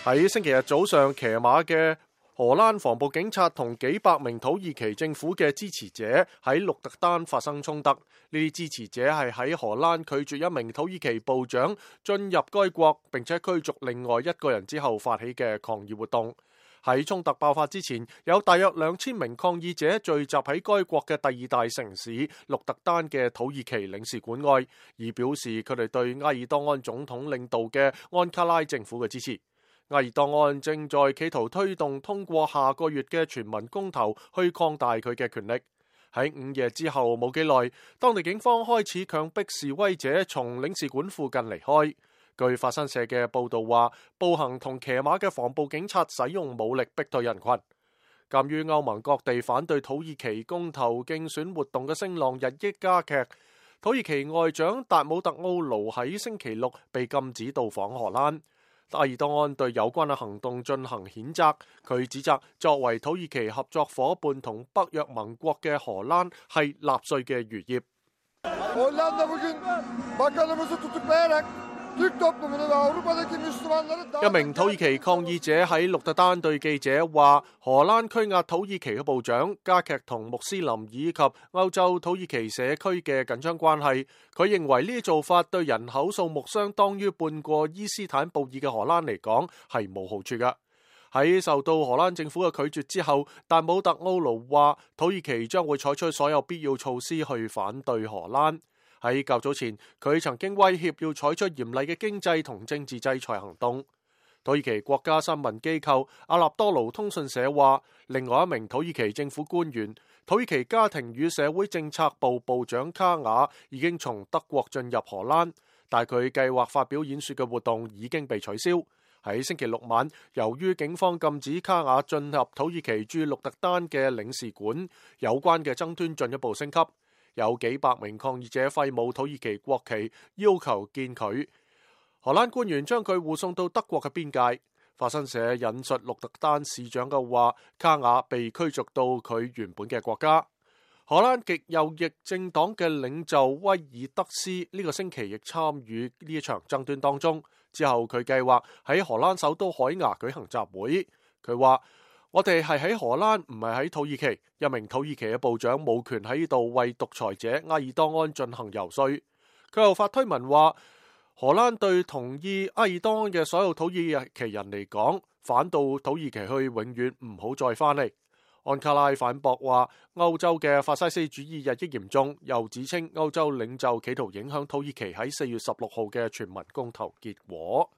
喺星期日早上，騎馬嘅荷蘭防暴警察同幾百名土耳其政府嘅支持者喺鹿特丹發生衝突。呢啲支持者係喺荷蘭拒絕一名土耳其部長進入該國，並且驅逐另外一個人之後發起嘅抗議活動。喺衝突爆發之前，有大約2000名抗議者聚集喺該國嘅第二大城市鹿特丹嘅土耳其領事館外，以表示佢哋對埃爾多安總統領導嘅安卡拉政府嘅支持。埃爾多安正在企圖推動通過下個月嘅全民公投去擴大佢嘅權力。喺午夜之後冇幾耐，當地警方開始強迫示威者從領事館附近離開。據法新社嘅報道話，步行同騎馬嘅防暴警察使用武力逼退人群。鑑於歐盟各地反對土耳其公投競選活動嘅聲浪日益加劇，土耳其外長達姆特奧盧喺星期六被禁止到訪荷蘭。埃爾多安對有關嘅行動進行譴責，佢指責作為土耳其合作夥伴同北約盟國嘅荷蘭係納粹嘅餘孽。一名土耳其抗議者喺鹿特丹對記者話，荷蘭拘押土耳其嘅部長，加劇同穆斯林以及歐洲土耳其社區嘅緊張關係。佢認為呢啲做法對人口數目相當於半個伊斯坦布爾嘅荷蘭嚟講係冇好處㗎。喺受到荷蘭政府嘅拒絕之後，達姆特奧盧話土耳其將會採取所有必要措施去反對荷蘭。喺較早前，佢曾經威脅要採取嚴厲嘅經濟同政治制裁行動。土耳其國家新聞機構阿納多盧通訊社話，另外一名土耳其政府官員、土耳其家庭與社會政策部部長卡雅已經從德國進入荷蘭，但佢計劃發表演說嘅活動已經被取消。喺星期六晚，由於警方禁止卡雅進入土耳其駐鹿特丹嘅領事館，有關嘅爭端進一步升級。有幾百名抗議者揮舞土耳其國旗，要求見佢。荷蘭官員將佢護送到德國嘅邊界。法新社引述鹿特丹市長嘅話，卡雅被驅逐到佢原本嘅國家。荷蘭極右翼政黨嘅領袖威爾德斯呢個星期亦參與呢一場爭端當中。之後佢計劃喺荷蘭首都海牙舉行集會。佢話：我哋係喺荷蘭，唔係喺土耳其。一名土耳其嘅部長冇權喺呢度為獨裁者埃爾多安進行游說。佢又發推文話，荷蘭對同意埃爾多安嘅所有土耳其人嚟講，反到土耳其去永遠唔好再翻嚟。安卡拉反駁話，歐洲嘅法西斯主義日益嚴重，又指稱歐洲領袖企圖影響土耳其喺4月16號嘅全民公投結果。